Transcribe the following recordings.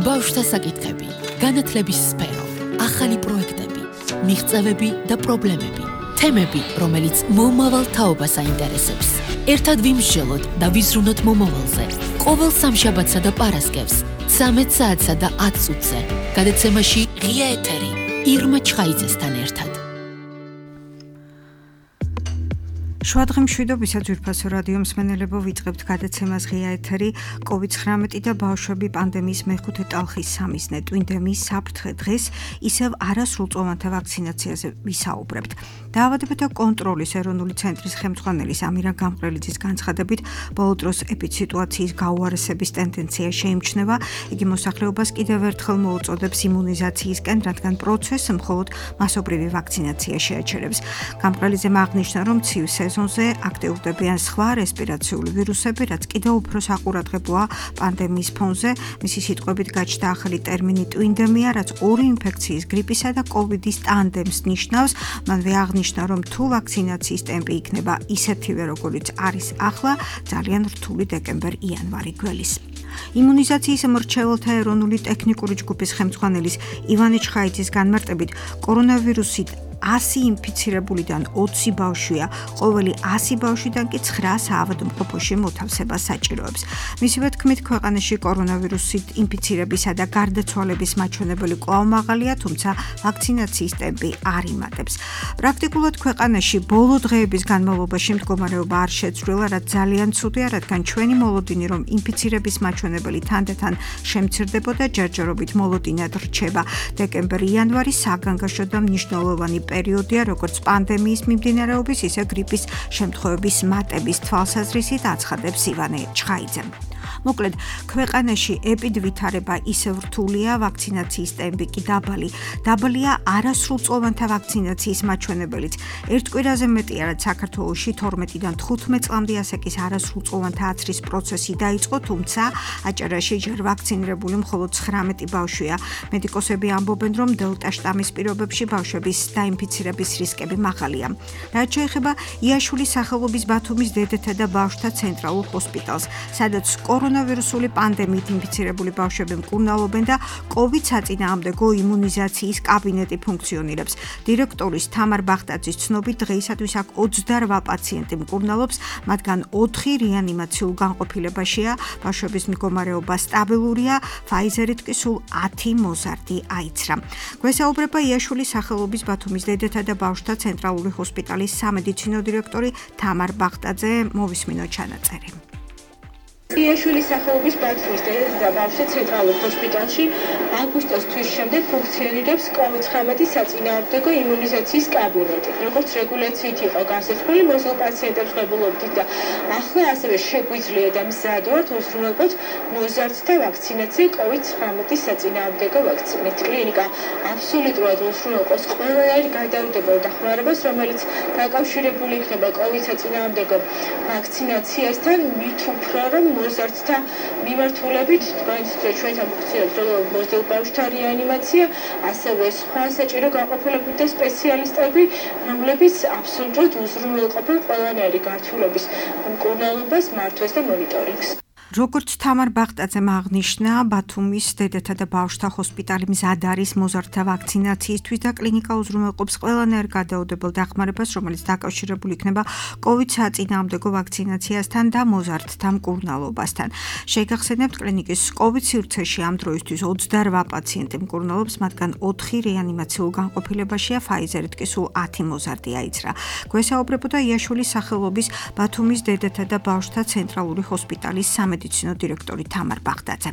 ბავშვთა საკითხები, განათლების სფერო, ახალი პროექტები, მიღწევები და პრობლემები, თემები, რომელიც მომავალ თაობას აინტერესებს. ერთად ვიმსჯელოთ და ვიზრუნოთ მომავალზე. ყოველ სამშაბათსა და პარასკევს, 13 საათსა და 10 წუთზე. გადაცემაში ღია ეთერი, ირმა ჩხაიძესთან ერთად. შუადღე მშვიდობისა ძვირფასო რადიო მსმენელებო, ვიწყებთ გადაცემას ღია ეთერი COVID-19 და ბავშვები პანდემიის მეხუთე ტალხის სამიზნე ტვინდემიის საფრთხე. დღეს ისევ არასრულწლოვანთა ვაქცინაციაზე ვისაუბრებთ. დაავადებათა კონტროლის ეროვნული ცენტრის ხელმძღვანელის ამირა გამყრელიძის განცხადებით, ბოლო დროს ეპიდსიტუაციის გაუარესების ტენდენცია შეიმჩნევა. იგი მოსახლეობას კიდევ ერთხელ მოუწოდებს იმუნიზაციისკენ, რადგან პროცესს მხოლოდ მასობრივი ვაქცინაცია შეაჩერებს. გამყრელიძემ აღნიშნა, რომ ცივ სეზონზე აქტიურდებიან სხვა რესპირაციული ვირუსები, რაც კიდევ უფრო საყურადღებოა პანდემიის ფონზე. მისი სიტყვებით გაჩნდა ახალი ტერმინი ტვინდემია, რაც ორი ინფექციის, გრიპისა და კოვიდის ტანდემს ნიშნავს. მანვე აღნიშნა, რომ თუ ვაქცინაციის ტემპი იქნება ისეთივე, როგორიც არის ახლა, ძალიან რთული დეკემბერ-იანვარი გველის. იმუნიზაციის მრჩეველთა ეროვნული ტექნიკური ჯგუფის ხელმძღვანელის ივანე ჩხაიძის განმარტებით, კორონავირუსით 100 ინფიცირებულიდან 20 ბავშვია, ყოველი 100 ბავშვიდან კი 9 საავადმყოფოში მოთავსებას საჭიროებს. მისივე თქმით, ქვეყანაში კორონავირუსით ინფიცირებისა და გარდაცვალების მაჩვენებელი კვლავ მაღალია, თუმცა ვაქცინაციის ტემპი არ იმატებს. პრაქტიკულად ქვეყანაში ბოლო დღეების განმავლობაში მდგომარეობა არ შეცვლილა, რაც ძალიან ცუდია, რადგან ჩვენი მოლოდინი, რომ ინფიცირების მაჩვენებელი თანდათან შემცირდებოდა, ჯერჯერობით მოლოდინად რჩება. დეკემბერ-იანვარი საგანგაშო და მნიშვნელოვანი პერიოდია, როგორც პანდემიის მიმდინარეობის, ისე გრიპის შემთხვევების მატების თვალსაზრისით აცხადებს ივანე ჩხაიძე. მოკლედ, ქვეყანაში ეპიდვითარება ისევ რთულია, ვაქცინაციის ტემპი კი დაბალი. დაბალია არასრულწლოვანთა ვაქცინაციის მაჩვენებელიც. ერთ კვირაზე მეტია, რაც საქართველოში 12-დან 15 წლამდე ასაკის არასრულწლოვანთა აცრის პროცესი დაიწყო, თუმცა აჭარაში ჯერ ვაქცინირებული მხოლოდ 19 ბავშვია. მედიკოსები ამბობენ, რომ დელტა შტამის პირობებში ბავშვების დაინფიცირების რისკები მაღალია. რაც შეეხება იაშულის სახელობის ბათუმის დედათა და ბავშვთა ცენტრალურ ჰოსპიტალს, სადაც კორონავირუსული პანდემიით ინფიცირებული ბავშვები მკურნალობენ და COVID საწინააღმდეგო იმუნიზაციის კაბინეტი ფუნქციონირებს. დირექტორის თამარ ბახტაძის ცნობით, დღეისათვის აქ 28 პაციენტი მკურნალობს, მათგან 4 რეანიმაციულ განყოფილებაშია, ბავშვების მდგომარეობა სტაბილურია, ფაიზერით კი სულ 10 მოზარდი აიცრა. გვესაუბრება იაშულის სახელობის ბათუმის დედათა და ბავშვთა ცენტრალური ჰოსპიტალის სამედიცინო დირექტორი თამარ ბახტაძე. მოვისმინოთ ჩანაწერი. იაშულის სახელობის ბათუმის დედათა და ბავშვთა ცენტრალურ ჰოსპიტალში აგვისტოს თვის შემდეგ ფუნქციონირებს COVID-19 საწინააღმდეგო იმუნიზაციის კაბინეტი. როგორც რეგულაციით იყო განსაზღვრული, მოზრდილ პაციენტებს ღებულობდით და ახლა ასევე შეგვიძლია და მზად ვართ უზრუნველყოთ მოზარდთა ვაქცინაცია COVID-19 საწინააღმდეგო ვაქცინით. კლინიკა აბსოლუტურად უზრუნველყოს ყველანაირ გადაუდებელ დახმარებას, რომელიც დაკავშირებული იქნება COVID საწინააღმდეგო ვაქცინაციასთან, მით უფრო რომ მოზარდთა მიმართულებით ჩვენთან ფუნქციონირებს როგორც მოზრდილ ბავშვთა რეანიმაცია, ასევე სხვა საჭირო განყოფილებები და სპეციალისტები, რომლებიც აბსოლუტურად უზრუნველყოფენ ყველანაირი გართულების მკურნალობას, მართვას და მონიტორინგს. როგორც თამარ ბახტაძემ აღნიშნა, ბათუმის დედათა და ბავშვთა ჰოსპიტალი მზად არის მოზარდთა ვაქცინაციისთვის და კლინიკა უზრუნველყოფს ყველანაირ გადაუდებელ დახმარებას, რომელიც დაკავშირებული იქნება COVID საწინააღმდეგო ვაქცინაციასთან და მოზარდთა მკურნალობასთან. შეგახსენებთ, კლინიკის COVID სივრცეში ამ დროისთვის 28 პაციენტი მკურნალობს, მათგან 4 რეანიმაციულ განყოფილებაშია, ფაიზერით კი სულ 10 მოზარდი აიცრა. გვესაუბრებოდა იაშულის სახელობის ბათუმის დედათა და ბავშვთა ცენტრალური ჰოსპიტალის სამედიცინო დირექტორი თამარ ბახტაძე.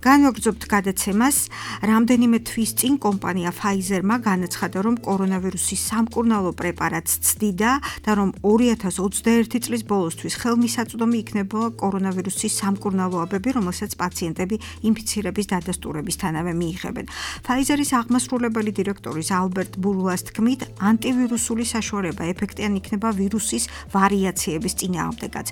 განვაგრძობთ გადაცემას. რამდენიმე თვის წინ კომპანია Pfizer-მა განაცხადა, რომ კორონავირუსის სამკურნალო პრეპარატს ცდიდა და რომ 2021 წლის ბოლოსთვის ხელმისაწვდომი იქნება კორონავირუსის სამკურნალოებები, რომელსაც პაციენტები ინფიცირების დადასტურებისთანავე მიიღებენ. Pfizer-ის აღმასრულებელი დირექტორის ალბერტ ბურლას თქმით, ანტივირუსული საშუალება ეფექტიანი იქნება ვირუსის ვარიაციების წინააღმდეგაც.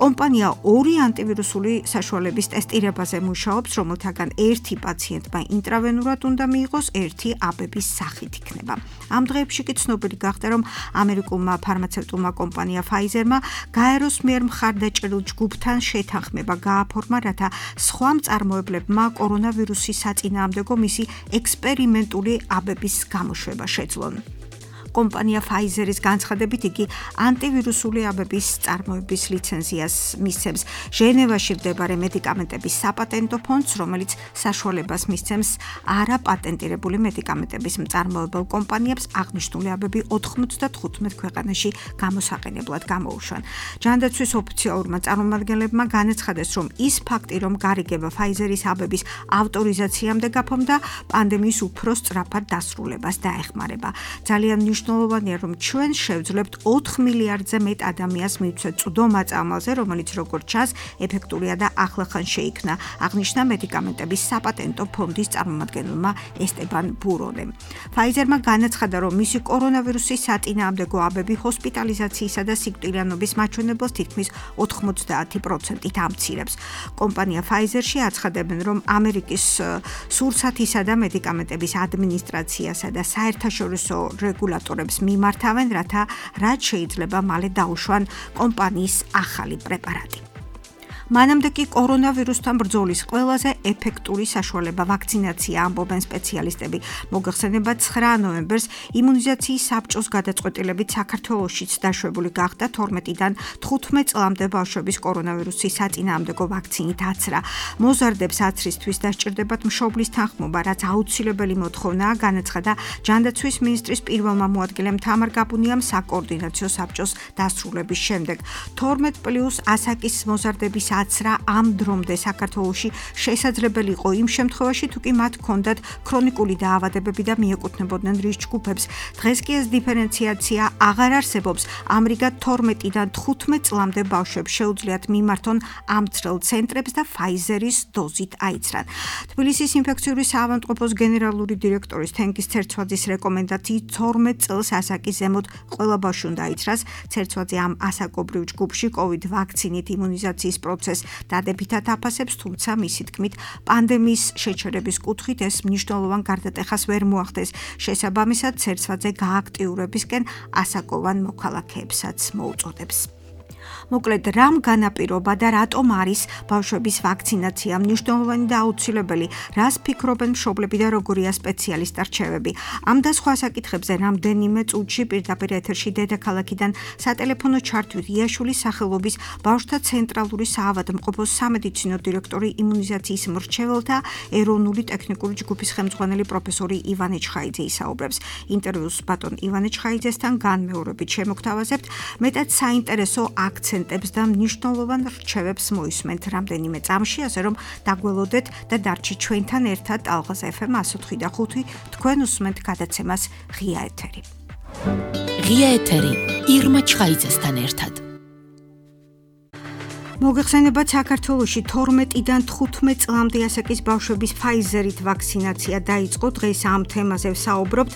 კომპანია 2 ანტივირუსული კორონავირუსული საშუალების ტესტირებაზე მუშაობს, რომელთაგან ერთი პაციენტმა ინტრავენურად უნდა მიიღოს, ერთი აბების სახით იქნება. ამ დღეებში კი ცნობილი გახდა, რომ ამერიკულმა ფარმაცევტულმა კომპანია Pfizer-მა გაეროს მიერ მხარდაჭერილ ჯგუფთან შეთანხმება გააფორმა, რათა სხვა მწარმოებლებმა კორონავირუსის საწინააღმდეგო მისი ექსპერიმენტული აბების გამოშვება შეძლონ. კომპანია Pfizer-ის განცხადებით იგი ანტივირუსული აბების წარმოების ლიცენზიას მისცემს ჟენევაში მდებარე მედიკამენტების საპატენტო ფონდს, რომელიც საშუალებას მისცემს არაპატენტირებული მედიკამენტების მწარმოებელ კომპანიებს აღნიშნული აბები 95 ქვეყანაში გამოსაყენებლად გამოუშვან. ჯანდაცვის ოფიციალურმა წარმომადგენლებმა განაცხადეს, რომ ის ფაქტი, რომ გარიგება Pfizer-ის აბების ავტორიზაციამდე გაფორმდა, პანდემიის უფრო სწრაფად დასრულებას დაეხმარება. ძალიან მნიშვნელოვანია, რომ ჩვენ შევძლებთ 4 მილიარდზე მეტ ადამიანს მივცეთ წვდომა წამალზე, რომელიც როგორც ჩანს, ეფექტურია და ახლახან შეიქმნა, აღნიშნა მედიკამენტების საპატენტო ფონდის წარმომადგენელმა ესტებან ბურონემ. Pfizer-მა განაცხადა, რომ მისი კორონავირუსის საწინააღმდეგო აბები ჰოსპიტალიზაციისა და სიკვდილიანობის მაჩვენებელს თითქმის 90%-ით ამცირებს. კომპანია Pfizer-ში აცხადებენ, რომ ამერიკის სურსათისა და მედიკამენტების ადმინისტრაციასა და საერთაშორისო რეგულატორებს მიმართავენ, რათა რაც შეიძლება მალე დაუშვან კომპანიის ახალი პრეპარატი. მანამდე კი კორონავირუსთან ბრძოლის ყველაზე ეფექტური საშუალება ვაქცინაცია, ამბობენ სპეციალისტები. მოგეხსენებათ 9 ნოემბერს იმუნიზაციის საბჭოს გადაწყვეტილებით საქართველოშიც დაშვებული გახდა 12-დან 15 წლამდე ბავშვების კორონავირუსის საწინააღმდეგო ვაქცინით აცრა. მოზარდებს აცრისთვის დასჭირდებათ მშობლის თანხმობა, რაც აუცილებელი მოთხოვნაა, განაცხადა ჯანდაცვის მინისტრის პირველმა მოადგილემ თამარ გაბუნიამ საკოორდინაციო საბჭოს დასრულების შემდეგ. 12+ ასაკის მოზარდების აცრა ამ დრომდე საქართველოში შესაძლებელი იყო იმ შემთხვევაში, თუ კი მათ ჰქონდათ ქრონიკული დაავადებები და მიეკუთვნებოდნენ რისკ ჯგუფებს. დღეს კი ეს დიფერენციაცია აღარ არსებობს. ამრიგად 12-დან 15 წლამდე ბავშვებს შეუძლიათ მიმართონ ამ ძრელ ცენტრებს და Pfizer-ის დოზით აიცრან. თბილისის ინფექციური საავადმყოფოს გენერალური დირექტორის თენგიზ ცერცვაძის რეკომენდაციით 12 წელს ასაკის ზემოთ ყველა ბავშვი უნდა აიცრას. ცერცვაძე ამ ასაკობრივ ჯგუფში COVID ვაქცინით იმუნიზაციის პროცესს დადებითად აფასებს, თუმცა მისი თქმით, პანდემიის შეჩერების კუთხით ეს მნიშვნელოვან გარდატეხას ვერ მოახდეს. შესაბამისად, ცერცვაძე გააქტიურებისკენ ასაკოვან მოქალაქეებსაც მოუწოდებს. მოკლედ, რამ განაპირობა და რატომ არის ბავშვების ვაქცინაცია მნიშვნელოვანი და აუცილებელი, რას ფიქრობენ მშობლები და როგორია სპეციალისტთა რჩევები. ამ და სხვა საკითხებზე რამდენიმე წუთში პირდაპირ ეთერში დედაქალაქიდან სატელეფონო ჩართვით იაშულის სახელობის ბავშვთა ცენტრალური საავადმყოფოს სამედიცინო დირექტორი იმუნიზაციის მრჩეველთა ეროვნული ტექნიკური ჯგუფის ხელმძღვანელი პროფესორი ივანე ჩხაიძე ისაუბრებს. ინტერვიუს ბატონ ივანე ჩხაიძესთან განმეორებით შემოგთავაზებთ, მეტად საინტერესო აქცენტებს და მნიშვნელოვან რჩევებს მოისმენთ რამდენიმე წამში, ასე რომ დაგველოდეთ და დარჩით ჩვენთან ერთად ალღაზ FM 104.5 თქვენ უსმენთ გადაცემას ღია ეთერი. ღია ეთერი ირმა ჩხაიძესთან ერთად. მოგეხსენებათ, საქართველოში 12-დან 15 წლამდე ასაკის ბავშვების Pfizer-ით ვაქცინაცია დაიწყო. დღეს ამ თემაზე ვსაუბრობთ.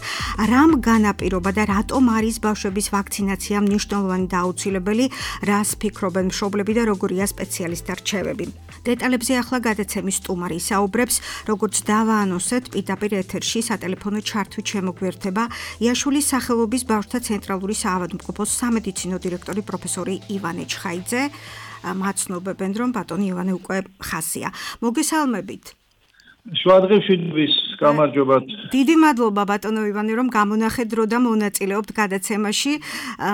რამ განაპირობა და რატომ არის ბავშვების ვაქცინაცია მნიშვნელოვანი და აუცილებელი, რას ფიქრობენ მშობლები და როგორია სპეციალისტთა რჩევები. დეტალებზე ახლა გადაცემის სტუმარი ისაუბრებს, როგორც დავაანონსეთ, პირდაპირ ეთერში სატელეფონო ჩართვით შემოგვერთება იაშულის სახელობის ბავშვთა ცენტრალური საავადმყოფოს სამედიცინო დირექტორი პროფესორი ივანე ჩხაიძე. მაცნობებენ, რომ ბატონი ივანე უკვე ხაზია. მოგესალმებით. შუადღეშვილის გამარჯობათ. დიდი მადლობა ბატონო ივანე, რომ გამონახეთ დრო და მონაწილეობთ გადაცემაში.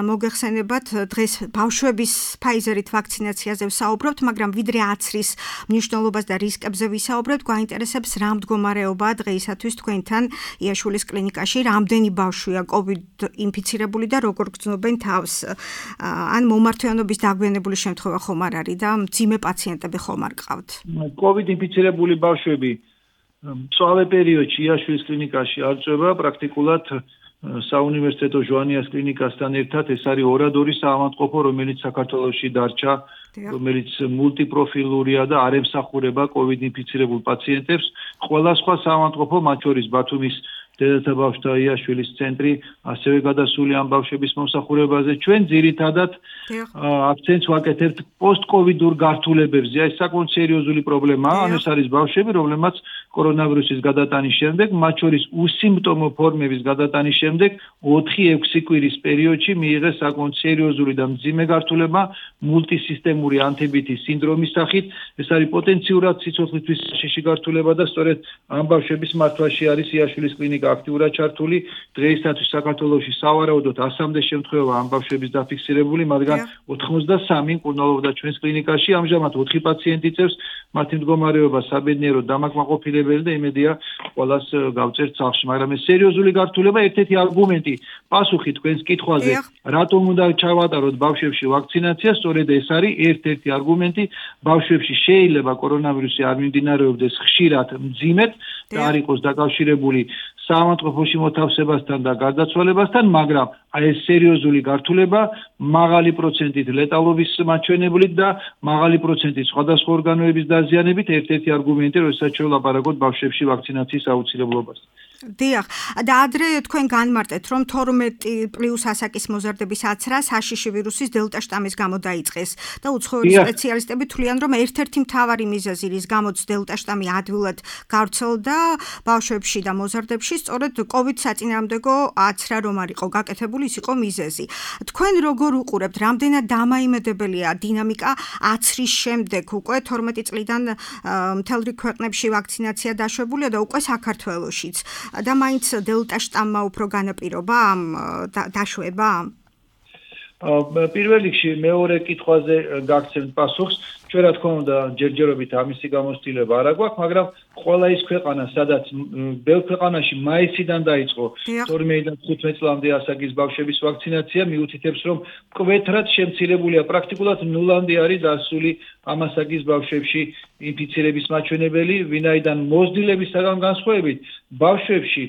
მოგეხსენებათ, დღეს ბავშვების Pfizer-ით ვაქცინაციაზე ვსაუბრობთ, მაგრამ ვიდრე აცრის მნიშვნელობას და რისკებზე ვისაუბრებთ, გვაინტერესებს რა მდგომარეობაა დღეისათვის თქვენთან იაშულის კლინიკაში, რამდენი ბავშვია COVID ინფიცირებული და როგორ გრძნობენ თავს. ან მომართვიანობის დაგვიანებული შემთხვევა ხომ არ არის და მძიმე პაციენტები ხომ არ გყავთ? COVID ინფიცირებული ბავშვები მწვავე პერიოდში იაშულის კლინიკაში არ წვება, პრაქტიკულად საუნივერსიტეტო ჟვანიას კლინიკასთან ერთად ეს არის ორადორი საავადმყოფო, რომელიც საქართველოში დარჩა, რომელიც მულტიპროფილურია და არ ემსახურება COVID ინფიცირებულ პაციენტებს. ყველა სხვა საავადმყოფო, მათ შორის ბათუმის დედათა ბავშვთა იაშვილის ცენტრი ასევე გადასული ამ ბავშვების მომსახურებაზე. ჩვენ ძირითადად აქცენტს ვაკეთებთ პოსტკოვიდურ გართულებებზე. ეს საკმაოდ სერიოზული პრობლემაა. ანუ ეს არის ბავშვები, რომლებმაც კორონავირუსის გადატანის შემდეგ, მათ შორის უსიმპტომო ფორმების გადატანის შემდეგ 4-6 კვირის პერიოდში მიიღეს საკმაოდ სერიოზული და მძიმე გართულება მულტისისტემური ანთებითის სინდრომის სახით. ეს არის პოტენციურად სიცოცხლისთვის საშიში გართულება და სწორედ ამ ბავშვების მართვაში არის იაშვილის კლინიკა აქტიურად ჩართული. დღეისათვის საქართველოში სავარაუდოდ 100-მდე შემთხვევა ამ ბავშვების დაფიქსირებული, მაგრამ 93 მკურნალობდა ჩვენს კლინიკაში. ამჟამად 4 პაციენტი წევს, მათი მდგომარეობა საბედნიეროდ დამაკმაყოფილებელი და იმედია ყველას გავწერთ სახლში, მაგრამ ეს სერიოზული გართულება ერთ-ერთი არგუმენტი პასუხი თქვენს კითხვაზე, რატომ უნდა ჩავატაროთ ბავშვებში ვაქცინაცია, სწორედ ეს არის ერთ-ერთი არგუმენტი. ბავშვებში შეიძლება კორონავირუსი არ მიმდინარეობდეს ხშირად მძიმედ და არ იყოს დაკავშირებული საავადმყოფოში მოთავსებასთან და გარდაცვალებასთან, მაგრამ ეს სერიოზული გართულება მაღალი პროცენტით ლეტალობის მაჩვენებლით და მაღალი პროცენტით სხვადასხვა ორგანოების დაზიანებით ერთ-ერთი არგუმენტი, როდესაც შევლაპარაკოთ ბავშვებში ვაქცინაციის აუცილებლობას. დიახ, და ადრე თქვენ განმარტეთ, რომ 12+ ასაკის მოზარდების აცრა საშიში ვირუსის დელტა შტამის გამო დაიწყეს და უცხოელი სპეციალისტები თვლიან, რომ ერთ-ერთი მთავარი მიზეზი, რის გამოც დელტა შტამი ადვილად გავრცელდა ბავშვებში და მოზარდებში, სწორედ COVID საწინააღმდეგო აცრა რომ არ იყო გაკეთებული, ის იყო მიზეზი. თქვენ როგორ უყურებთ, რამდენად დამაიმედებელია დინამიკა აცრის შემდეგ, უკვე 12 წლიდან მთელ რიგ ქვეყნებში ვაქცინაცია დაშვებულია და უკვე საქართველოშიც. და მაინც დელტა შტამმა უფრო განაპირობა ამ დაშვება? პირველ რიგში მეორე კითხვაზე გაგცემთ პასუხს. ჩვენ რა თქმა უნდა ჯერჯერობით ამისი გამოცდილება არ აქვს, მაგრამ ყველა ის ქვეყანა, სადაც ბევრ ქვეყანაში მაისიდან დაიწყო 12-დან 15 წლამდე ასაკის ბავშვების ვაქცინაცია, მიუთითებს, რომ მკვეთრად შემცირებულია, პრაქტიკულად ნულამდე არის დასული ამ ასაკის ბავშვებში ინფიცირების მაჩვენებელი, ვინაიდან მოზრდილებისგან განსხვავებით, ბავშვებში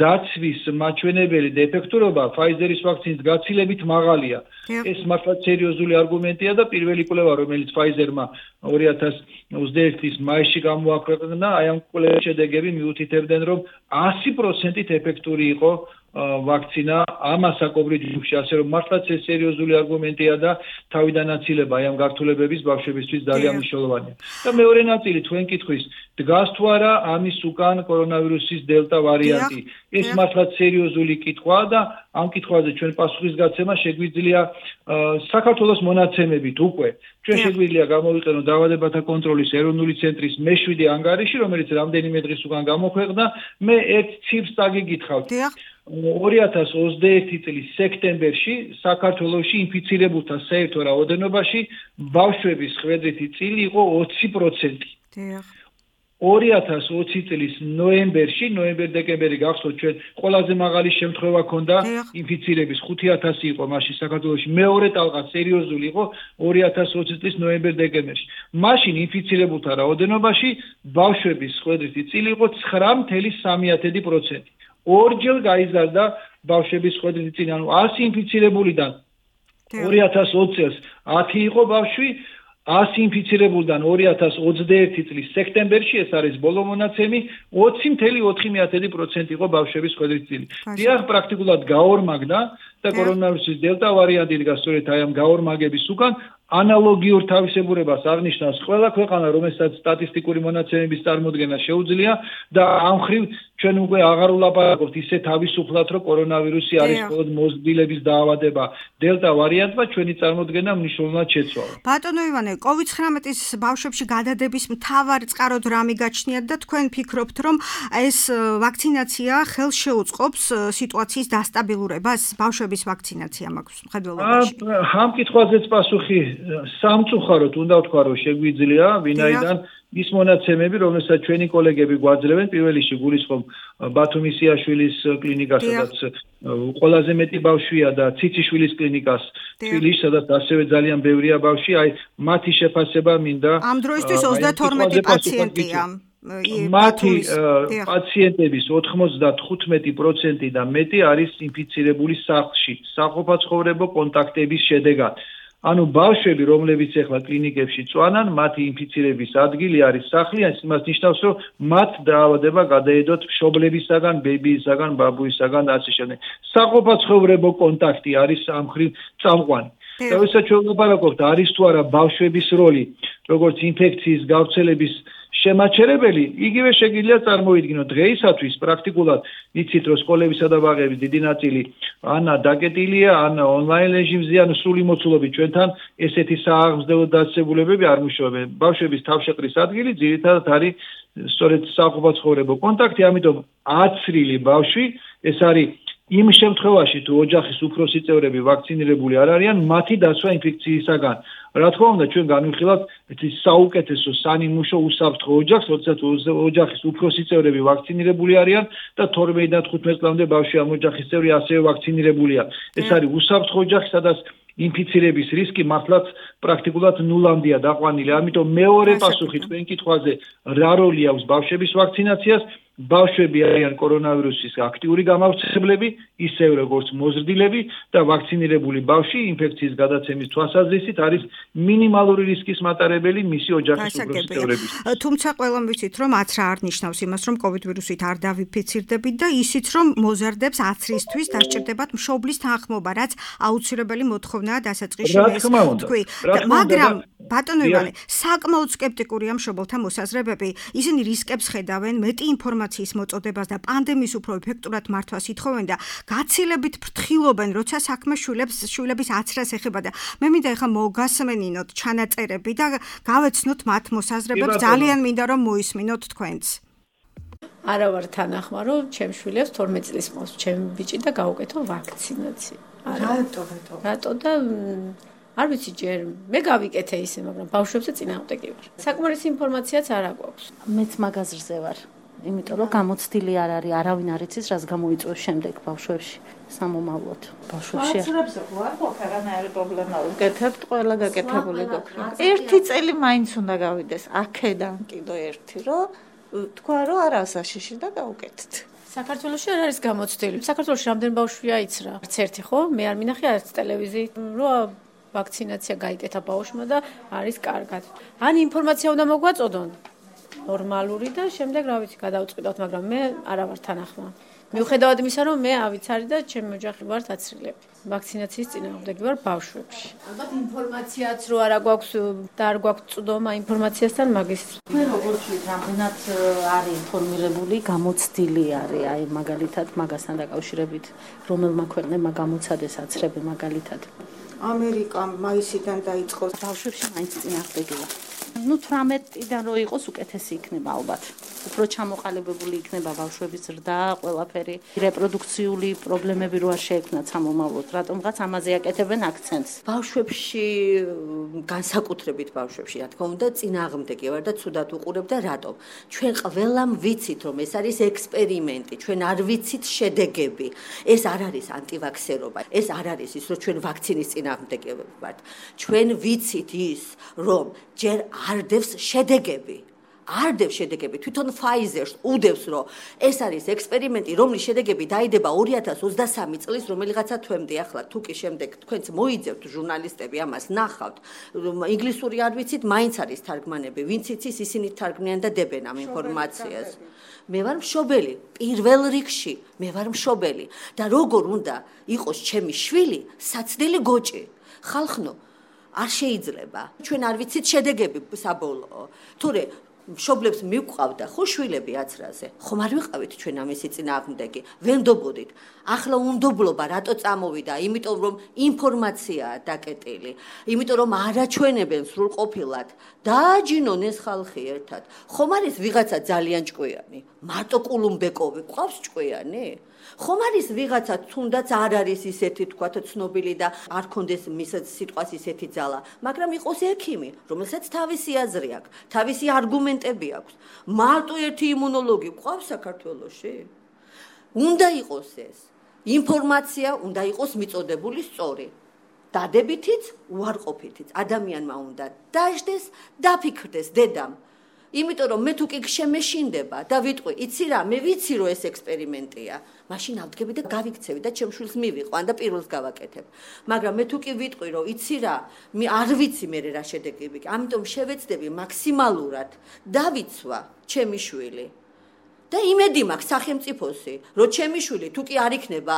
დაცვის მაჩვენებელი და ეფექტურობა Pfizer-ის ვაქცინის გაცილებით მაღალია. ეს მართლა სერიოზული არგუმენტია და პირველი კვლევა, რომელიც Pfizer-მა 2021 წლის მაისში გამოაქვეყნა, აი ამ კვლევის შედეგები მიუთითებდნენ, რომ 100%-ით ეფექტური იყო ვაქცინა ამ ასაკობრივ ჯგუფში, ასე რომ მართლაც ეს სერიოზული არგუმენტია და თავიდანაცილება აი ამ გართულებების ბავშვებისთვის ძალიან მნიშვნელოვანია. და მეორე ნაწილი თქვენ კითხვის, დგას თუ არა ამის უკან კორონავირუსის დელტა ვარიანტი? ეს მართლაც სერიოზული კითხვაა და ამ კითხვაზე ჩვენ პასუხის გაცემა შეგვიძლია საქართველოს მონაცემებით უკვე. ჩვენ შეგვიძლია გამოვიყენოთ დაავადებათა კონტროლის ეროვნული ცენტრის მე-7 ანგარიში, რომელიც რამდენიმე დღის უკან გამოქვეყნდა. მე ერთ ციფრს წაგიგითხავთ. 2021 წლის სექტემბერში საქართველოში ინფიცირებულთა საერთო რაოდენობაში ბავშვების ხვედრითი წილი იყო 20%. 2020 წლის ნოემბერ-დეკემბერი გახსოვთ ჩვენ ყველაზე მაღალი შემთხვევა ქონდა ინფიცირების 5000 იყო მაშინ საქართველოში, მეორე ტალღა სერიოზული იყო 2020 წლის ნოემბერ-დეკემბერში. მაშინ ინფიცირებულთა რაოდენობაში ბავშვების ხვედრითი წილი იყო 9.3%. ორჯერ გაიზარდა ბავშვების ხვედრითი წილი, ანუ 100 ინფიცირებულიდან 2020 წელს 10 იყო ბავშვი, 100 ინფიცირებულიდან 2021 წლის სექტემბერში, ეს არის ბოლო მონაცემი, 20.4% იყო ბავშვების ხვედრითი წილი. დიახ, პრაქტიკულად გაორმაგდა და კორონავირუსის დელტა ვარიანტი დგას სწორედ აი ამ გაორმაგების უკან. ანალოგიურ თავისებურებას აღნიშნავს ყველა ქვეყანა, რომელსაც სტატისტიკური მონაცემების წარმოდგენა შეუძლია და ამ ხრივ ჩვენ უკვე აღარ ვლაპარაკობთ ისე თავისუფლად, რომ კორონავირუსი არის მხოლოდ მოზრდილების დაავადება. დელტა ვარიანტმა ჩვენი წარმოდგენა მნიშვნელოვნად შეცვალა. ბატონო ივანე, COVID-19-ის ბავშვებში გადადების მთავარ წყაროდ რა მიგაჩნიათ და თქვენ ფიქრობთ, რომ ეს ვაქცინაცია ხელს შეუწყობს სიტუაციის დასტაბილურებას? ბავშვების ვაქცინაცია მაქვს მხედველობაში. ამ კითხვაზეც პასუხი სამწუხაროდ უნდა ვთქვა, რომ შეგვიძლია, ვინაიდან ის მონაცემები, რომელსაც ჩვენი კოლეგები გვაძლევენ, პირველ რიგში გულისხმობ ბათუმის იაშვილის კლინიკას, სადაც ყველაზე მეტი ბავშვია და ციციშვილის კლინიკას, თბილისში, სადაც ასევე ძალიან ბევრია ბავშვი, აი მათი შეფასება მინდა. ამ დროისთვის 32 პაციენტია. მათი პაციენტების 95% და მეტი არის ინფიცირებული სახლში, საყოფაცხოვრებო კონტაქტების შედეგად. ანუ ბავშვები, რომლებიც ახლა კლინიკებში წვანან, მათი ინფიცირების ადგილი არის სახლი, იმას ნიშნავს, რომ მათ დაავადება გადაედოთ მშობლებისაგან, ბებიისაგან, ბაბუისაგან და ასე შემდეგ. საყოფაცხოვრებო კონტაქტი არის ამ მხრივ წამყვანი. და ვისაც ჩვენ ვაპარაკობთ, არის თუ არა ბავშვების როლი, როგორც ინფექციის გავრცელების შემაჩერებელი, იგივე შეგიძლია წარმოიდგინოთ დღეისათვის პრაქტიკულად იცით, რომ სკოლებისა და ბაღების დიდი ნაწილი ან დაკეტილია, ან ონლაინ რეჟიმზე, ან სრული მოცულობით ჩვენთან ესეთი სააღმზრდელო დაწესებულებები არ მუშაობენ. ბავშვების თავშეყრის ადგილი ძირითადად არის სწორედ საყოფაცხოვრებო კონტაქტი, ამიტომ აცრილი ბავშვი ეს არის იმ შემთხვევაში, თუ ოჯახის უფროსი წევრები ვაქცინირებული არ არიან, მათი დაცვა ინფექციისაგან. რა თქმა უნდა, ჩვენ განვიხილავთ საუკეთესო სანიმუშო უსაფრთხო ოჯახს, როდესაც ოჯახის უფროსი წევრები ვაქცინირებული არიან და 12 და 15 წლამდე ბავშვი ამ ოჯახის წევრი ასევე ვაქცინირებულია. ეს არის უსაფრთხო ოჯახი, სადაც ინფიცირების რისკი მართლაც პრაქტიკულად ნულამდეა დაყვანილი. ამიტომ მეორე პასუხი თქვენ კითხვაზე, რა როლი აქვს ბავშვების ვაქცინაციას? ბავშვები არიან კორონავირუსის აქტიური გამავრცელებლები, ისევე როგორც მოზრდილები და ვაქცინირებული ბავშვი ინფექციის გადაცემის თვალსაზრისით არის მინიმალური რისკის მატარებელი მისი ოჯახის უფროსი წევრების. თუმცა ყველამ ვიცით, რომ აცრა არ ნიშნავს იმას, რომ COVID ვირუსით არ დავიფიცირდებით და ისიც, რომ მოზარდებს აცრისთვის დასჭირდებათ მშობლის თანხმობა, რაც აუცილებელი მოთხოვნაა დასაწყისში თქვი. მაგრამ ბატონო ივანე, საკმაოდ სკეპტიკურია მშობელთა მოსაზრებები. ისინი რისკებს ხედავენ, მეტი ინფორმაციის მოწოდებას და პანდემიის უფრო ეფექტურად მართვას ითხოვენ და გაცილებით ფრთხილობენ, როცა საქმე შვილების აცრას ეხება და მე მინდა ეხლა მოგასმენინოთ ჩანაწერები და გავეცნოთ მათ მოსაზრებებს, ძალიან მინდა რომ მოისმინოთ თქვენც. არა ვარ თანახმა, რომ ჩემ შვილებს 12 წლის მოს ჩემ ბიჭი და გავუკეთო ვაქცინაცია. რატო და არ ვიცი ჯერ მე გავიკეთე ისე, მაგრამ ბავშვებზე წინააღმდეგი ვარ. საკმარისი ინფორმაციაც არ აქვს. მეც მაგაზრზე ვარ. იმიტომ რომ გამოცდილი არ არის, არავინ არ იცის, რას გამოიწვევს შემდეგ ბავშვებში სამომავლოდ. ბავშვებში არ ყველანაირი პრობლემა უკეთებთ, ყველა გაკეთებული გქონდა. ერთი წელი მაინც უნდა გავიდეს, აქედან კიდო ერთი, რომ თქვა რომ არა საშიში და გავუკეთეთ. საქართველოში არ არის გამოცდილი. საქართველოში რამდენი ბავშვია იცრა? არც ერთი ხო? მე არ მინახე არც ტელევიზიით, რომ ვაქცინაცია გაიკეთა ბავშვმა და არის კარგად. ან ინფორმაცია უნდა მოგვაწოდონ ნორმალური და შემდეგ რა ვიცი გადავწყვიტოთ, მაგრამ მე არა ვარ თანახმა. მიუხედავად იმისა, რომ მე ავიცარი და ჩემი ოჯახი ვართ აცრილები. ვაქცინაციის წინააღმდეგი ვარ ბავშვებში. ალბათ ინფორმაციაც რო არა გვაქვს და არ გვაქვს წვდომა ინფორმაციასთან მაგის. მე როგორც ვთქვით, რამდენად არის ინფორმირებული, გამოცდილი არის, აი მაგალითად მაგასთან დაკავშირებით, რომელმა ქვეყნებმა გამოცადეს აცრები მაგალითად. ამერიკა მაისიდან დაიწყო ბავშვებში მაინც წინააღმდეგია. 18-დან რო იყოს უკეთესი იქნება ალბათ. უფრო ჩამოყალიბებული იქნება ბავშვების ზრდა, ყველაფერი, რეპროდუქციული პრობლემები რო არ შეექმნათ სამომავლოდ, რატომღაც ამაზე აკეთებენ აქცენტს. ბავშვებში, განსაკუთრებით ბავშვებში, რა თქმა უნდა, წინააღმდეგი ვარ და ცუდად უყურებ და რატომ? ჩვენ ყველამ ვიცით, რომ ეს არის ექსპერიმენტი, ჩვენ არ ვიცით შედეგები. ეს არ არის ანტივაქსერობა, ეს არ არის ის, რომ ჩვენ ვაქცინის წინააღმდეგები ვართ. ჩვენ ვიცით ის, რომ ჯერ არდევს შედეგები. არდევს შედეგები. თვითონ Pfizer-ს უდევს, რომ ეს არის ექსპერიმენტი, რომლის შედეგები დაიდება 2023 წლის რომელიღაცა თვემდე. ახლა თუ კი შემდეგ თქვენც მოიძებთ ჟურნალისტები ამას ნახავთ, ინგლისური არ ვიცით, მაინც არის თარგმანები. ვინც იცის, ისინი თარგმნიან და დებენ ამ ინფორმაციას. მე ვარ მშობელი, პირველ რიგში მე ვარ მშობელი და როგორ უნდა იყოს ჩემი შვილი საცდელი გოჭი. ხალხნო არ შეიძლება. ჩვენ არ ვიცით შედეგები საბოლოო. თორე მშობლებს მივყავდა ხო შვილები აცრაზე. ხომ არ ვიყავით ჩვენ ამისი წინააღმდეგი. ვენდობოდით. ახლა უნდობლობა რატო წამოვიდა? იმიტომ რომ ინფორმაციაა დაკეტილი. იმიტომ რომ არაჩვენებენ სრულყოფილად. დააჯინონ ეს ხალხი ერთად. ხომ არის ვიღაცა ძალიან ჭკვიანი? მარტო კულუმბეკოვი ყავს ჭკვიანი? ხომ არის ვიღაცა თუნდაც არ არის ისეთი თქვათ ცნობილი და არ კონდეს მის სიტყვას ისეთი ძალა, მაგრამ იყოს ექიმი, რომელსაც თავისი აზრი აქვს, თავისი არგუმენტები აქვს. მარტო ერთი იმუნოლოგი ყავს საქართველოში? უნდა იყოს ეს. ინფორმაცია უნდა იყოს მიწოდებული სწორი. დადებითიც, უარყოფითიც. ადამიანმა უნდა დაждდეს, დაფიქრდეს დედამ. იმიტომ რომ მე თუ კი შემეშინდება და ვიტყვი, იცი რა, მე ვიცი რომ ეს ექსპერიმენტია. მაშინ ავდგები და გავიქცევი და ჩემ შვილს მივიყვან და პირველს გავაკეთებ. მაგრამ მე თუ კი ვიტყვი რომ იცი რა, მე არ ვიცი მე რა შედეგები. ამიტომ შევეცდები მაქსიმალურად დავიცვა ჩემი შვილი. და იმედი მაქვს სახელმწიფოსი, რომ ჩემი შვილი თუ კი არ იქნება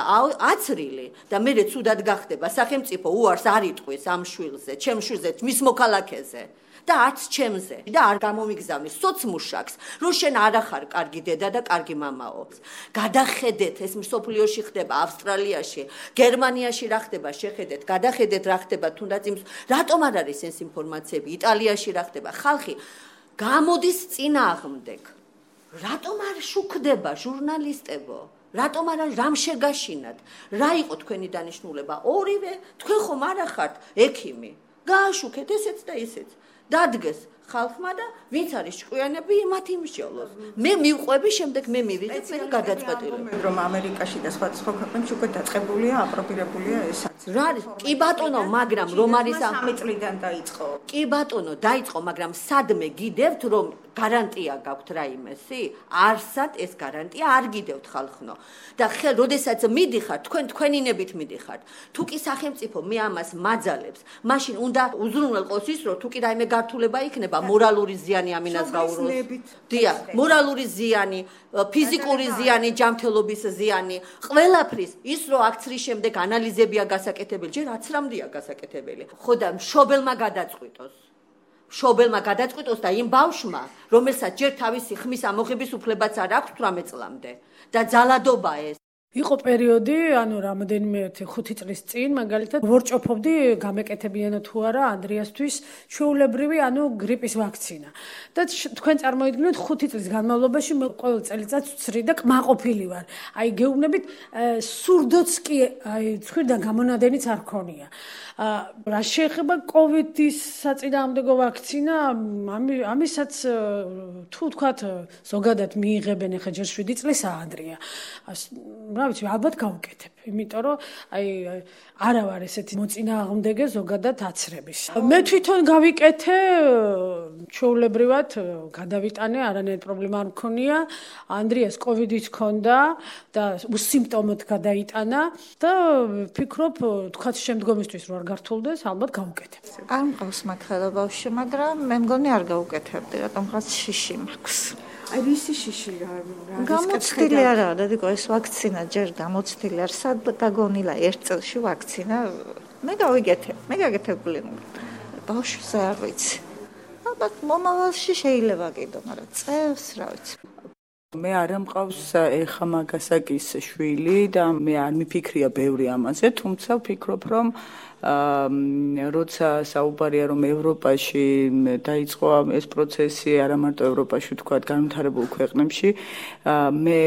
აცრილი და მე ცუდად გახდება, სახელმწიფო უარს არ იტყვის ამ შვილზე, ჩემ შვილზე, მის მოქალაქეზე. და არც ჩემზე და არ გამომიგზავნის სოცმუშაკს, რომ შენ არ ახარ კარგი დედა და კარგი მამაო. გადახედეთ, ეს მსოფლიოში ხდება, ავსტრალიაში, გერმანიაში რა ხდება, შეხედეთ, გადახედეთ რა ხდება, თუნდაც იმ რატომ არ არის ეს ინფორმაციები, იტალიაში რა ხდება, ხალხი გამოდის წინააღმდეგ. რატომ არ შუქდება ჟურნალისტებო? რატომ არ რამ შეგაშინათ? რა იყო თქვენი დანიშნულება? ორივე თქვენ ხომ არ ახართ ექიმი. გააშუქეთ ესეც და ისეც. დადგეს ხალხმა და ვინც არის ჭკვიანები მათ იმსჯელოს. მე მივყვები, შემდეგ მე მივიღებ მე გადაწყვეტილება. რომ ამერიკაში და სხვა ქვეყნებში უკვე დაწყებულია, აპრობირებულია ესაც. რა არის? კი ბატონო, მაგრამ რომ არის 3 წლიდან დაიწყო. კი ბატონო, დაიწყო, მაგრამ სადმე გიდევთ რომ გარანტია გაქვთ რაიმესი? არსად ეს გარანტია არ გიდევთ ხალხნო. და როდესაც მიდიხართ, თქვენინებით მიდიხართ. თუ კი სახელმწიფო მე ამას მაძალებს, მაშინ უნდა უზრუნველყოს ის, რომ თუ კი რაიმე გართულება იქნება, მორალური ზიანი ამინას გაუროს. დიახ, მორალური ზიანი, ფიზიკური ზიანი, ჯანმრთელობის ზიანი, ყველაფრის ის რომ აქცრის შემდეგ ანალიზებია გასაკეთებელი, ჯერ აცრამდეა გასაკეთებელი. ხო და მშობელმა გადაწყვიტოს. მშობელმა გადაწყვიტოს და იმ ბავშვმა, რომელსაც ჯერ თავისი ხმის ამოღების უფლებაც არ აქვს 18 წლამდე და ძალადობა ეს. იყო პერიოდი, ანუ რამოდენიმე 5 წლის წინ, მაგალითად, ვორჭოფობდი გამეკეთებიანო თუ არა ანდრიასთვის ჩვეულებრივი, ანუ გრიპის ვაქცინა. და თქვენ წარმოიდგინეთ 5 წლის განმავლობაში მე ყოველ წელიწადს ვცრი და კმაყოფილი ვარ. აი გეუბნებით, სურდოც კი აი ცხვირიდან გამონადენიც არ ქონია. რა შეეხება კოვიდის საწინააღმდეგო ვაქცინა, ამისაც თუ თქვათ ზოგადად მიიღებენ ახლა ჯერ 7 წლისაა ანდრია. რა ვიცი, ალბათ გავუკეთებ, იმიტომ რომ აი არა ვარ ესეთი მოწინააღმდეგე ზოგადად აცრების. მე თვითონ გავიკეთე, ჩვეულებრივად გადავიტანე, არანაირი პრობლემა არ მქონია. ანდრიას კოვიდიც ჰქონდა და უსიმპტომოდ გადაიტანა და ვფიქრობ, თქვათ შემდგომისთვის რო არ გართულდეს, ალბათ გავუკეთებ. არ მყავს მართლა ბავშვი, მაგრამ მე მგონი არ გავუკეთებდი, რატომღაც შიში მაქვს. აი ვისი შიში რა გამოცდილი არაა, დედიკო, ეს ვაქცინა ჯერ გამოცდილი არ სად გაგონილა 1 წელში ვაქცინა. მე გავიგეთებ, მე გაგეთებული. ბავშვზე არ ვიცი. ალბათ მომავალში შეიძლება კიდო, მაგრამ წელს რა ვიცი. მე არ მყავს ეხა მაგასაკის შვილი და მე არ მიფიქრია ბევრი ამაზე, თუმცა ვფიქრობ, რომ როცა საუბარია რომ ევროპაში დაიწყო ეს პროცესი, არა მარტო ევროპაში, ვთქვათ, განვითარებულ ქვეყნებში, მე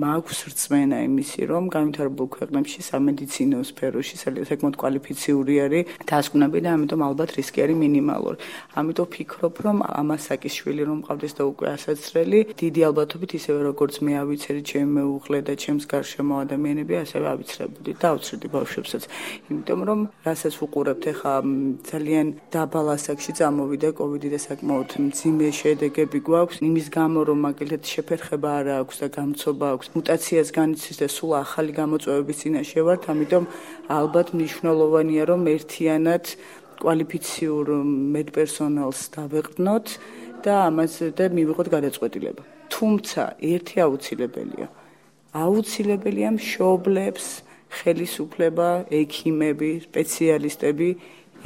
მაქვს რწმენა იმისი, რომ განვითარებულ ქვეყნებში სამედიცინო სფეროში საკმაოდ კვალიფიციური არის დასკვნები და ამიტომ ალბათ რისკი არის მინიმალური. ამიტომ ვფიქრობ, რომ ამასაკის შვილი რომ მყავდეს და უკვე ასაცრელი, დიდი ალბათობით ისევე როგორც მე ავიცერი ჩემი მეუღლე და ჩემს გარშემო ადამიანები, ასევე ავიცრებოდი და ავცრდი ბავშვებსაც. იმიტომ რომ რასაც ვუყურებთ ახლა ძალიან დაბალ ასაკში წამოვიდა კოვიდი და საკმაოდ მძიმე შედეგები გვაქვს იმის გამო რომ მაგალითად შეფერხება არ აქვს და გამწობა აქვს მუტაციას განიცდის და სულ ახალი გამოწვევების წინაშე ვართ ამიტომ ალბათ მნიშვნელოვანია რომ ერთიანად კვალიფიციურ მედპერსონალს დავეყრდნოთ და ამაზე და მივიღოთ გადაწყვეტილება თუმცა ერთი აუცილებელია მშობლებს ხელისუფლება, ექიმები, სპეციალისტები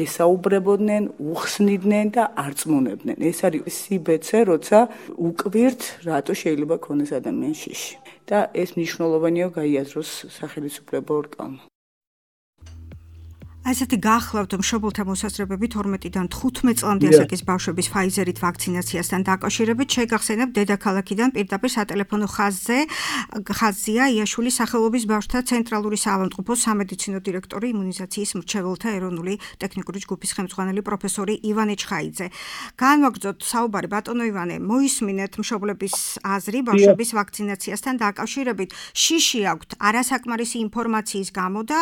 ესაუბრებოდნენ, უხსნიდნენ და არწმუნებდნენ. ეს არის სიბეცე, როცა უკვირთ, რატო შეიძლება ქონდეს ადამიანს შიში. და ეს მნიშვნელოვანია გაიაზროს სახელმწიფო ორგანო. ასეთი გახლავთ მშობელთა მოსაზრებები 12-დან 15 წლამდე ასაკის ბავშვების ფაიზერით ვაქცინაციასთან დაკავშირებით შეგახსენებ დედაქალაქიდან პირდაპირ სატელეფონო ხაზია იაშვილის სახელობის ბავშვთა ცენტრალური საავადმყოფოს სამედიცინო დირექტორი იმუნიზაციის მრჩეველთა ეროვნული ტექნიკური ჯგუფის ხელმძღვანელი პროფესორი ივანე ჩხაიძე. განვაგრძოთ საუბარი ბატონო ივანე, მოისმინეთ მშობლების აზრი ბავშვების ვაქცინაციასთან დაკავშირებით. შიში აქვთ არასაკმარისი ინფორმაციის გამო და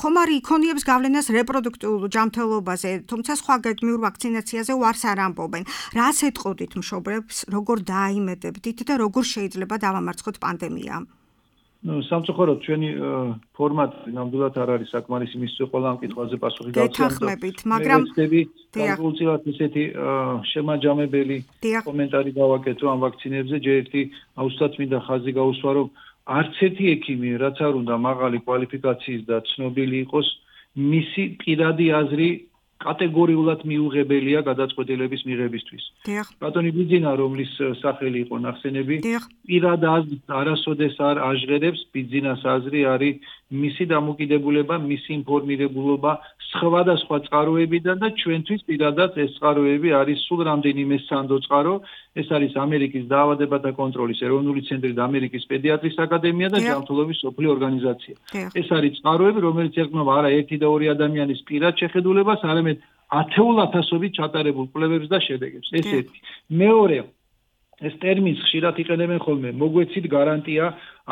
ხომ არ იქონიებს გავლენას რეპროდუქტიულ ჯანმრთელობაზე, თუმცა სხვა გეგმიურ ვაქცინაციაზე ვარს არ ამბობენ. რას ეტყოდით მშობლებს, როგორ დააიმედებდით და როგორ შეიძლება დავამარცხოთ პანდემია? სამწუხაროდ ჩვენი ფორმატი ნამდვილად არ არის საკმარისი მისცე ყველა ამ კითხვაზე პასუხი გავცემთ, მაგრამ განსაკუთრებით ესეთი შემაჯამებელი კომენტარი გავაკეთო ამ ვაქცინებზე, ჯერ ერთი აუცილებლად მინდა ხაზი გაუსვა, რომ არც ერთი ექიმი, რაც არ უნდა მაღალი კვალიფიკაციის და ცნობილი იყოს, მისი პირადი აზრი კატეგორიულად მიუღებელია გადაწყვეტილების მიღებისთვის. ბატონი ბიძინა, რომლის სახელი იყო ნახსენები, პირად აზრს არასოდეს არ აჟღერებს, ბიძინას აზრი არის მისი დამოკიდებულება, მისი ინფორმირებულობა სხვადასხვა წყაროებიდან და ჩვენთვის პირადად ეს წყაროები არის სულ რამდენიმე სანდო წყარო, ეს არის ამერიკის დაავადებათა კონტროლის ეროვნული ცენტრი და ამერიკის პედიატრის აკადემია და ჯანმრთელობის მსოფლიო ორგანიზაცია. ეს არის წყაროები, რომელიც ეხმობა არა ერთი და ორი ადამიანის პირად შეხედულებას, არამედ ათეულათასობით ჩატარებულ კვლევებს და შედეგებს. ეს ერთი. მეორე, ეს ტერმინს ხშირად იყენებენ ხოლმე, მოგვეცით გარანტია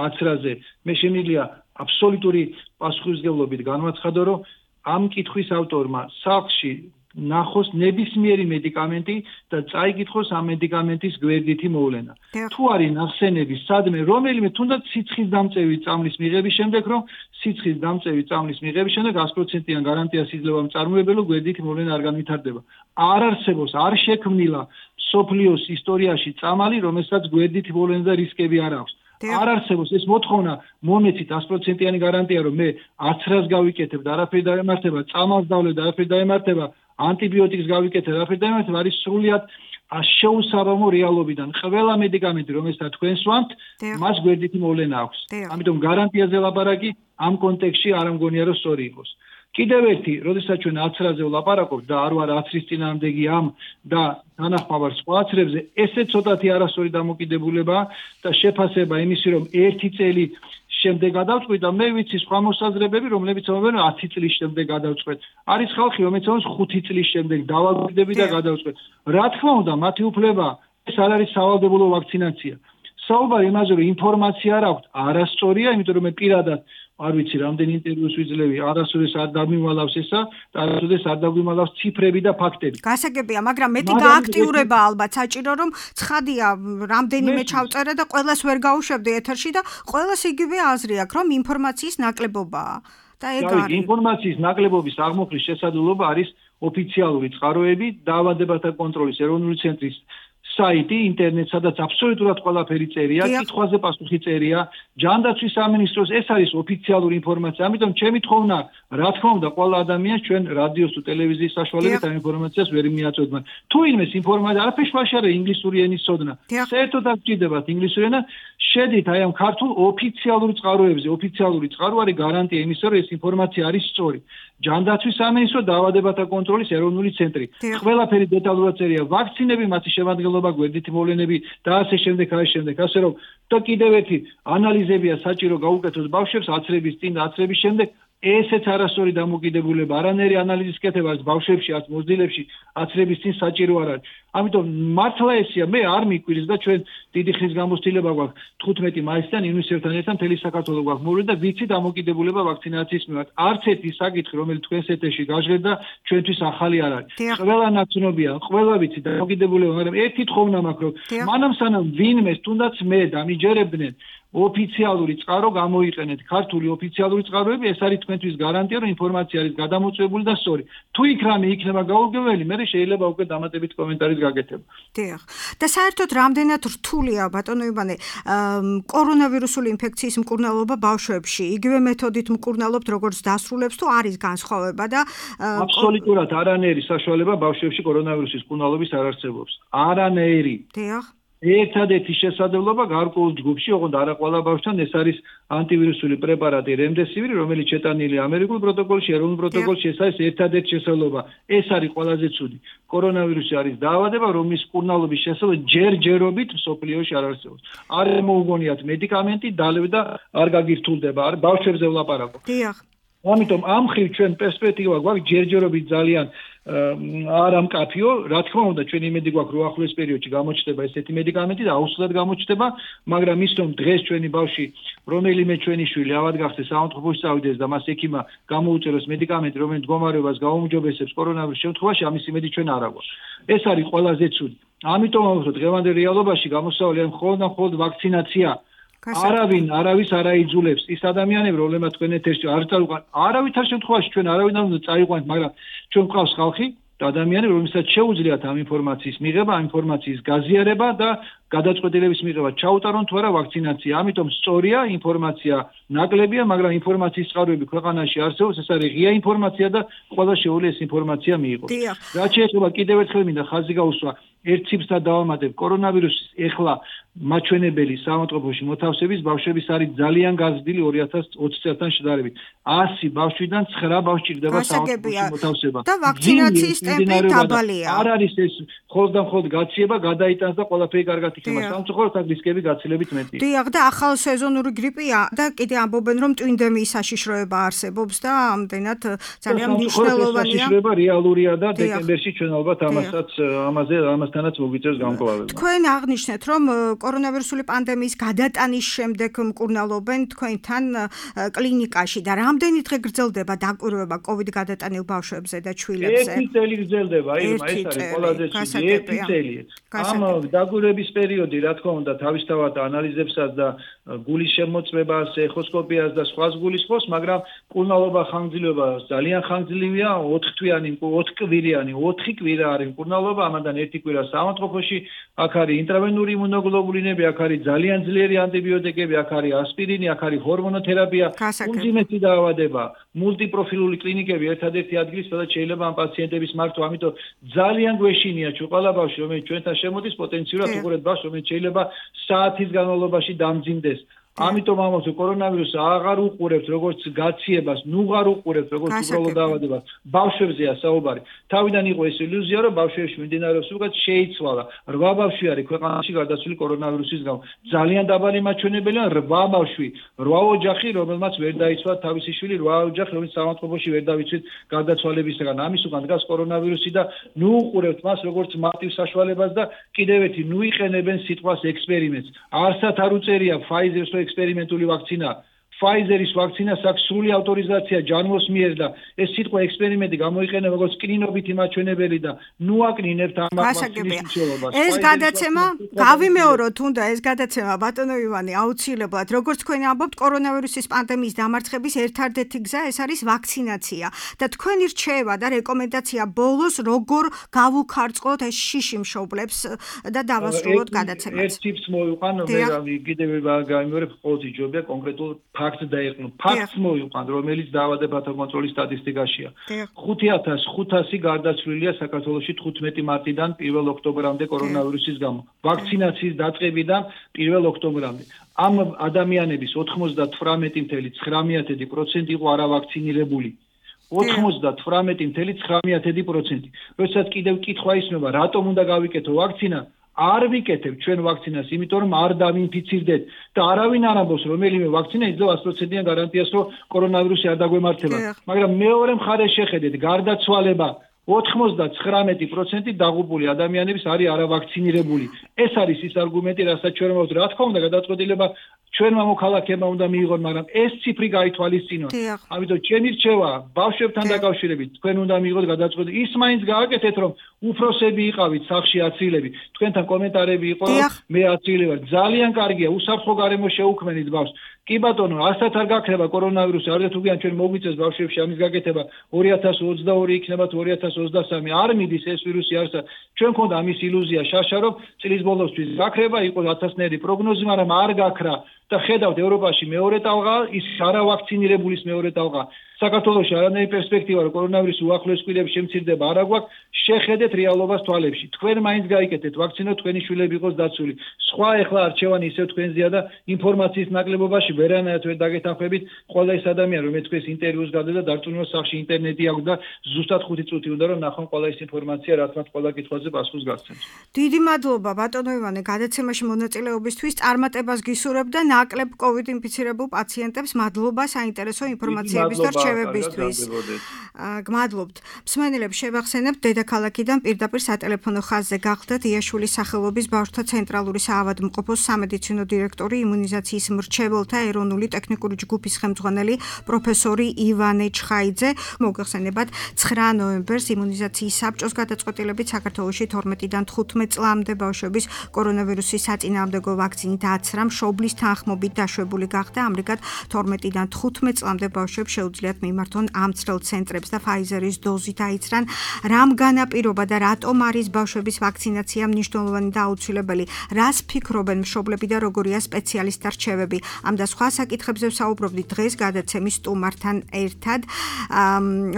აცრაზე. მე შემიძლია აბსოლუტური პასუხისმგებლობით განვაცხადო, რომ ამ კითხვის ავტორმა სახლში ნახოს ნებისმიერი მედიკამენტი და წაიკითხოს ამ მედიკამენტის გვერდითი მოვლენა. თუ არის ნახსენები სადმე რომელიმე თუნდაც სიცხის დამწევი წამლის მიღების შემდეგ, რომ სიცხის დამწევი წამლის მიღების შემდეგ 100%-იან გარანტიას იძლევა მწარმოებელი გვერდითი მოვლენა არ განვითარდება. არ არსებობს, არ შექმნილა სოფლიოს ისტორიაში წამალი, რომელსაც გვერდითი მოვლენა და რისკები არ აქვს. არ არსებობს ეს მოთხოვნა მომეცით 100%-იანი გარანტია, რომ მე აცრას გავიკეთებ და არაფერი დაემართება, წამალს დავლებ და არაფერი დაემართება, ანტიბიოტიკს გავიკეთებ და არაფერი დაემართება, არის სრულიად შეუსაბამო რეალობიდან. ყველა მედიკამენტი, რომელსაც თქვენ სვამთ, მას გვერდითი მოვლენა აქვს. ამიტომ გარანტიაზე ლაპარაკი ამ კონტექსტში არ მგონია რომ სწორი იყოს. კიდევ ერთი, როდესაც ჩვენ აცრაზე ვლაპარაკობთ და არ ვარ აცრის წინააღმდეგი ამ და თანახმავარ სხვა აცრებზე, ესე ცოტათი არასწორი დამოკიდებულება და შეფასება იმისი, რომ 1 წელი შემდეგ გადავწყვეტ და მე ვიცი სხვა მოსაზრებები, რომლებიც ამბობენ 10 წლის შემდეგ გადავწყვეტ. არის ხალხი, რომელიც ამბობს 5 წლის შემდეგ დავაკვირდები და გადავწყვეტ. რა თქმა უნდა, მათი უფლება, ეს არ არის სავალდებულო ვაქცინაცია. საუბარი იმაზე, რომ ინფორმაცია არ აქვს, არასწორია, იმიტომ რომ მე პირადად არ ვიცი რამდენი ინტერვიუს ვიძლევი, არასოდეს არ დამიმალავს ესა და არასოდეს არ დაგვიმალავს ციფრები და ფაქტები. გასაგებია, მაგრამ მეტი გააქტიურება ალბათ საჭირო, რომ ცხადია რამდენიმე ჩავწერე და ყველას ვერ გაუშვებდი ეთერში და ყველას იგივე აზრი აქვს, რომ ინფორმაციის ნაკლებობაა. და ეგ არის. ინფორმაციის ნაკლებობის აღმოხლის შესაძლებლობა არის ოფიციალური წყაროები, დაავადებათა კონტროლის ეროვნული ცენტრის საიტი, ინტერნეტ, სადაც აბსოლუტურად ყველაფერი წერია, კითხვაზე პასუხი წერია, ჯანდაცვის სამინისტროს, ეს არის ოფიციალური ინფორმაცია. ამიტომ ჩემი თხოვნა, რა თქმა უნდა, ყველა ადამიანს ჩვენ რადიოს თუ ტელევიზიის საშუალებით ამ ინფორმაციას ვერ მიაწოდოთ. თუ იმეს ინფორმაცია არაფერი შუაში არა ინგლისური ენის ცოდნა. საერთოდ არ გჭირდებათ ინგლისური ენა, შედით აი ამ ქართულ ოფიციალურ წყაროებზე. ოფიციალური წყარო არის გარანტია იმისა, რომ ეს ინფორმაცია არის სწორი. ჯანდაცვის სამინისტრო, დაავადებათა კონტროლის ეროვნული ცენტრი. ყველაფერი დეტალურად წერია, ვაქცინები, მათი შემადგენლობა, გვერდითი მოვლენები და ასე შემდეგ, ასე რომ და კიდევ ერთი ანალიზებია საჭირო გაუკეთოს ბავშვებს აცრების წინ და აცრების შემდეგ. ესეც არასწორი დამოკიდებულება, არანაირი ანალიზის კეთება არც ბავშვებში, არც მოზრდილებში აცრების წინ საჭირო არ არის. ამიტომ მართლა ესია, მე არ მიკვირს და ჩვენ დიდი ხნის გამოცდილება გვაქვს 15 მაისიდან ივნისებთან ერთად მთელი საქართველოს გვაქვს მოვლენ და ვიცი დამოკიდებულება ვაქცინაციის მიმართ. არც ერთი საკითხი, რომელიც თქვენს ეთერში გაჟღერდა, ჩვენთვის ახალი არ არის. ყველა ნაცნობია, ყველა ვიცი დამოკიდებულება, მაგრამ ერთი თხოვნა მაქვს, რომ მანამ სანამ ვინმეს თუნდაც მე დამიჯერებდნენ ოფიციალური წყარო გამოიყენეთ, ქართული ოფიციალური წყაროები, ეს არის თქვენთვის გარანტია, რომ ინფორმაცია არის გადამოწვეული და სწორი. თუ იქ რამე იქნება გაურკვეველი, მე შეიძლება უკვე დამატებით კომენტარის გაკეთება. დიახ. და საერთოდ რამდენად რთულია, ბატონო ივანე, კორონავირუსული ინფექციის მკურნალობა ბავშვებში? იგივე მეთოდით მკურნალობთ, როგორც დასრულებს, თუ არის განსხვავება და აბსოლუტურად არანაირი საშუალება ბავშვებში კორონავირუსის მკურნალობის არ არსებობს. არანაირი. დიახ. ერთადერთი შესაძლებლობა გარკვეულ ჯგუფში, ოღონდ არა ყველა ბავშვთან, ეს არის ანტივირუსული პრეპარატი რემდესივირი, რომელიც შეტანილია ამერიკულ პროტოკოლში, ეროვნულ პროტოკოლში, ეს არის ერთადერთი შესაძლებლობა. ეს არის ყველაზე ცუდი. კორონავირუსი არის დაავადება, რომლის მკურნალობის შესაძლებლობა ჯერჯერობით მსოფლიოში არ არსებობს. არ მოუგონიათ მედიკამენტი, დალევ და არ გაგირთულდება, არ ბავშვებზე ვლაპარაკობ. დიახ. ამიტომ ამ ხრივ ჩვენ პერსპექტივა გვაქვს ჯერჯერობით ძალიან არა მკაფიო, რა თქმა უნდა, ჩვენ იმედი გვაქვს, რომ ახლოს პერიოდში გამოჩნდება ესეთი მედიკამენტი და აუცილებლად გამოჩნდება, მაგრამ ის რომ დღეს ჩვენი ბავშვი, რომელიმე ჩვენი შვილი ავად გახდეს საავადმყოფოში წავიდეს და მას ექიმა გამოუწეროს მედიკამენტი, რომელიც მდგომარეობას გაუმჯობესებს კორონავირუსის შემთხვევაში, ამის იმედი ჩვენ არ აგვაქვს. ეს არის ყველაზე ცუდი. ამიტომ რომ დღევანდელ რეალობაში გამოსავალი მხოლოდ ვაქცინაცია არავის არ აიძულებს ის ადამიანები, რომლებმაც თქვენ ეთერში არ წაიყვანთ, არავითარ შემთხვევაში ჩვენ არავინ არ უნდა წაიყვანთ, მაგრამ ჩვენ გვყავს ხალხი და ადამიანები, რომელსაც შეუძლიათ ამ ინფორმაციის მიღება, ამ ინფორმაციის გაზიარება და გადაწყვეტილების მიღება, ჩაუტარონ თუ არა ვაქცინაცია. ამიტომ სწორია, ინფორმაცია ნაკლებია, მაგრამ ინფორმაციის წყაროები ქვეყანაში არსებობს, ეს არის ღია ინფორმაცია და ყველა შეუძლია ეს ინფორმაცია მიიღოს. რაც შეეხება კიდევ ერთხელ მინდა ხაზი გაუსვა ერთ ციფრს დავამატებ, კორონავირუსის ეხლა მაჩვენებელი საავადმყოფოში მოთავსების ბავშვების არის ძალიან გაზრდილი 2020 წელთან შედარებით. 100 ბავშვიდან 9 ბავშვი ჭირდება საავადმყოფოში მოთავსება. და ვაქცინაციის ტემპი დაბალია. არ არის ეს მხოლოდ გაციება, გადაიტანს და ყველაფერი კარგად იქნება. სამწუხაროდ აქ რისკები გაცილებით მეტია. დიახ, და ახალ სეზონური გრიპია და კიდე ამბობენ, რომ ტვინდემიის საშიშროება არსებობს და ამდენად ძალიან მნიშვნელოვანია. საშიშროება რეალურია და დეკემბერში ჩვენ ალბათ ამასთანაც მოგვიწევს გამკლავება. თქვენ აღნიშნეთ, რომ კორონავირუსული პანდემიის გადატანის შემდეგ მკურნალობენ თქვენთან კლინიკაში და რამდენი დღე გრძელდება დაკვირვება COVID გადატანილ ბავშვებზე და ჩვილებზე? 1 წელი გრძელდება, ეს არის ყველაზე ცუდი 1 წელი. ამ დაკვირვების პერიოდი, რა თქმა უნდა, თავისთავად ანალიზებსაც და გულის შემოწმებას, ეხოსკოპიას და სხვა გულისხმობს, მაგრამ მკურნალობა ხანგრძლივობა ძალიან ხანგრძლივია, 4 კვირიანი 4 კვირა არის მკურნალობა, ამან 1 კვირა საავადმყოფოში, აქ არის ინტრავენური იმუნოგლობულინები, აქ არის ძალიან ძლიერი ანტიბიოტიკები, აქ არის ასპირინი, აქ არის ჰორმონოთერაპია, უმძიმესი დაავადება, მულტიპროფილული კლინიკები, ერთადერთი ადგილი, სადაც შეიძლება ამ პაციენტების მართვა, ამიტომ ძალიან გვეშინია ჩვენ ყველა ბავშვი, რომელიც ჩვენთან შემოდის, პოტენციურად უყურეთ ბავშვს, რომელიც შეიძლება საათის განმავლობაში დამძიმდეს. ამიტომ ამას კორონავირუსს აღარ უყურებთ როგორც გაციებას, ნუღარ უყურებთ როგორც უბრალოდ დაავადებას. ბავშვებზეა საუბარი. თავიდან იყო ეს ილუზია, რომ ბავშვებში მიმდინარეობს უკეთ შეიცვალა. 8 ბავშვი არის ქვეყანაში გარდაცვლილი კორონავირუსის გამო. ძალიან დაბალი მაჩვენებელია 8 ბავშვი, 8 ოჯახი, რომელმაც ვერ დაიცვალა თავისი შვილი, 8 ოჯახი, რომელიც საავადმყოფოში ვერ დავიცვით გარდაცვალებისგან. ამის უკან დგას კორონავირუსი და ნუ უყურებთ მას როგორც მარტივ საშუალებას და კიდევ ერთი ნუ იყენებენ სიტყვას ექსპერიმენტს. არსად არ უწერია Pfizer-ს ექსპერიმენტული ვაქცინა. Pfizer-ის ვაქცინას აქვს სრული ავტორიზაცია ჯანმოს მიერ და ეს სიტყვა ექსპერიმენტი გამოიყენება როგორც კლინობითი მაჩვენებელი და ნუ აკნინებთ ამ მაქსიმუმს. ეს გადაცემა გავიმეოროთ უნდა ეს გადაცემა ბატონო ივანე აუცილებლად როგორც თქვენ ამბობთ კორონავირუსის პანდემიის დამარცხების ერთადერთი გზა ეს არის ვაქცინაცია და თქვენი რჩევა და რეკომენდაცია ბოლოს როგორ გავუქარწყლოთ ეს შიში მშობლებს და დავასრულოთ გადაცემას. ერთ ტიპს მოვიყვან მე კიდევ გამიმეორებ ყოველთვის ჯობია კონკრეტულ ფაქტს დაეყნო. ფაქტს მოვიყვან, რომელიც დაავადებათა კონტროლის სტატისტიკაშია. 5500 გარდაცვლილია საქართველოში 15 მარტიდან 1 ოქტომბრამდე კორონავირუსის გამო. ვაქცინაციის დაწყებიდან 1 ოქტომბრამდე. ამ ადამიანების 98.9% იყო არავაქცინირებული. 98.9%. როდესაც კიდევ კითხვა ისმება, რატომ უნდა გავიკეთო ვაქცინა? არ ვიკეთებ ჩვენ ვაქცინას, იმიტომ რომ არ დავინფიცირდეთ და არავინ არ ამბობს რომელიმე ვაქცინა იძლევა 100%-იან გარანტიას, რომ კორონავირუსი არ დაგვემართება. მაგრამ მეორე მხარეს შეხედეთ, გარდაცვალება 99% დაღუპული ადამიანების არის არავაქცინირებული. ეს არის ის არგუმენტი, რასაც ჩვენ ვამბობთ, რა თქმა უნდა, გადაწყვეტილება ჩვენმა მოქალაქეებმა უნდა მიიღონ, მაგრამ ეს ციფრი გაითვალისწინოთ. ამიტომ ჩემი რჩევა ბავშვებთან დაკავშირებით, თქვენ უნდა მიიღოთ gadაწყვეტილება. ის მაინც გააკეთეთ, რომ უფროსები იყავით სახში აცილები. თქვენთან კომენტარები იყო, მე აცილე ვარ. ძალიან კარგია, უსაფრთხო გარემო შეუქმნით ბავშვს. კი ბატონო, ასათ არ გაქრება კორონავირუსი, არც თუ გიან ჩვენ მოგვიწევს ბავშვებში ამის გაკეთება 2022 იქნება თუ 2023 არ მიდის ეს ვირუსი არსად. ჩვენ ქონდა ამის ილუზია შაშა, რომ წლის ბოლოსთვის გაქრება, იყო 1000-ნერი პროგნოზი, მაგრამ არ გაქრა. და ხედავთ ევროპაში მეორე ტალღა, ის არავაქცინირებულის მეორე ტალღა. საქართველოში არანაირი პერსპექტივა რომ კორონავირუსი უახლოეს კვირებში შემცირდება არ აგვაქვს, შეხედეთ რეალობას თვალებში. თქვენ მაინც გაიკეთეთ ვაქცინა, თქვენი შვილები იყოს დაცული. სხვა ეხლა არჩევანი ისევ თქვენზეა და ინფორმაციის ნაკლებობაში ვერანაირად ვერ დაგეთანხმებით. ყველა ის ადამიანი რომელიც თქვენს ინტერვიუს გადადა დარწმუნებას სახში ინტერნეტი აქვს და ზუსტად 5 წუთი უნდა რომ ნახონ ყველა ის ინფორმაცია, რაც მათ ყველა კითხვაზე პასუხს გასცემს. დიდი მადლობა ბატონო ივანე გადაცემაში მონაწილეობისთვის. წარმატებას გისურვებ და ნაკლებ COVID ინფიცირებულ პაციენტებს მადლობა საინტერესო ინფორმაციების და შერჩევებისთვის. გმადლობთ. მსმენელებს შევახსენებთ, დედაქალაქიდან პირდაპირ სატელეფონო ხაზზე გახლდათ იაშვილის სახელობის ბავშვთა ცენტრალური საავადმყოფოს სამედიცინო დირექტორი, იმუნიზაციის მრჩეველთა ეროვნული ტექნიკური ჯგუფის ხელმძღვანელი პროფესორი ივანე ჩხაიძე. მოგეხსენებათ, 9 ნოემბერს იმუნიზაციის საბჭოს გადაწყვეტილებით საქართველოში 12-დან 15 წლამდე ბავშვების კორონავირუსის საწინააღმდეგო ვაქცინით აცრა მშობლის თანხმობით დაშვებული გახდა. ამრიგად 12-დან 15 წლამდე ბავშვებს შეუძლიათ მიმართონ ამ ცრელ ცენტრებს და Pfizer-ის დოზით აიცრან. რამ განაპირობა და რატომ არის ბავშვების ვაქცინაცია მნიშვნელოვანი და აუცილებელი? რას ფიქრობენ მშობლები და როგორია სპეციალისტთა რჩევები? ამ და სხვა საკითხებზე ვსაუბრობდით დღეს გადაცემის სტუმართან ერთად.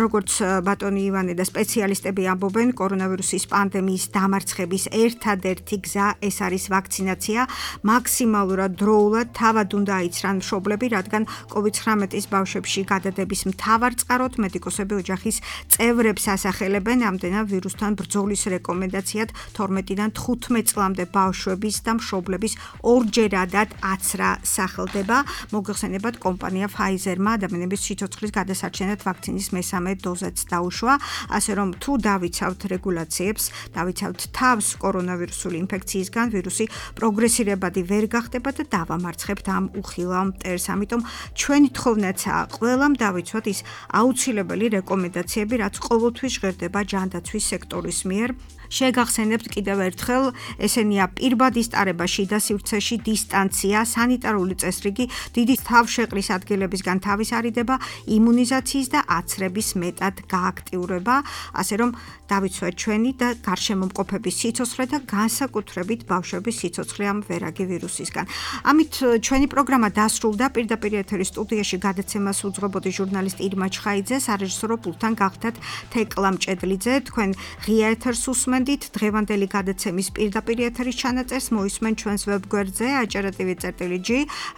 როგორც ბატონი ივანე და სპეციალისტები ამბობენ, კორონავირუსის პანდემიის დამარცხების ერთადერთი გზა ეს არის ვაქცინაცია. მაქსიმალურად დროულად თავად უნდა აიცრან მშობლები, რადგან COVID-19-ის ბავშვებში გადადების მთავარ წყაროთ მედიკოსები ოჯახის წევრებს ასახელებენ. ამდენად ვირუსთან ბრძოლის რეკომენდაციად 12-დან 15 წლამდე ბავშვების და მშობლების ორჯერადად აცრა სახელდება. მოგეხსენებათ, კომპანია Pfizer-მა ადამიანების სიცოცხლის გადასარჩენად ვაქცინის მესამე დოზაც დაუშვა. ასე რომ თუ დავიცავთ რეგულაციებს, დავიცავთ თავს კორონავირუსული ინფექციისგან, ვირუსი პროგრესირებადი ვერ გახდება და დავამარცხებთ ამ უხილავ მტერს. ამიტომ ჩვენი თხოვნაცაა ყველამ დავიცვათ ის აუცილებელი რეკომენდაციები, რაც ყოველთვის ჟღერდება ჯანდაცვის სექტორის მიერ. შეგახსენებთ კიდევ ერთხელ, ესენია პირბადის ტარება შიდა სივრცეში, დისტანცია, სანიტარული წესრიგი, დიდი თავშეყრის ადგილებისგან თავის არიდება, იმუნიზაციის და აცრების მეტად გააქტიურება, ასე რომ დავიცვათ ჩვენი და გარშემო მყოფების სიცოცხლე და განსაკუთრებით ბავშვების სიცოცხლე ამ ვერაგი ვირუსისგან. ამით ჩვენი პროგრამა დასრულდა. პირდაპირ ეთერის სტუდიაში გადაცემას უძღვებოდი ჟურნალისტი ირმა ჩხაიძე, სარეჟისორო პულტთან გახდათ თეკლა მჭედლიძე. თქვენ ღია ეთერს უსმენთ. დღევანდელი გადაცემის პირდაპირ ეთერის ჩანაწერს მოისმენ ჩვენს ვებგვერდზე aჭრატივ.g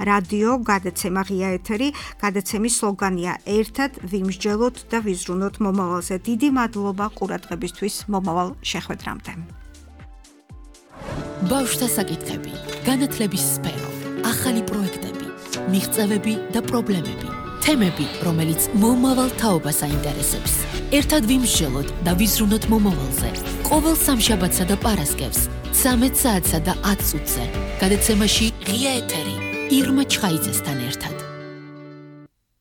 რადიო გადაცემა ღია ეთერი. გადაცემის სლოგანია ერთად ვიმსჯელოთ და ვიზრუნოთ მომავალზე. დიდი მადლობა ყურადღებისთვის. მომავალ შეხვედრამდე. ბავშვთა საკითხები, განათლების სფერო, ახალი პროექტები, მიღწევები და პრობლემები. თემები, რომელიც მომავალ თაობას აინტერესებს. ერთად ვიმსჯელოთ და ვიზრუნოთ მომავალზე. ყოველ სამშაბათსა და პარასკევს 13 საათსა და 10 წუთზე. გადაცემაში ღია ეთერი ირმა ჩხაიძესთან ერთად.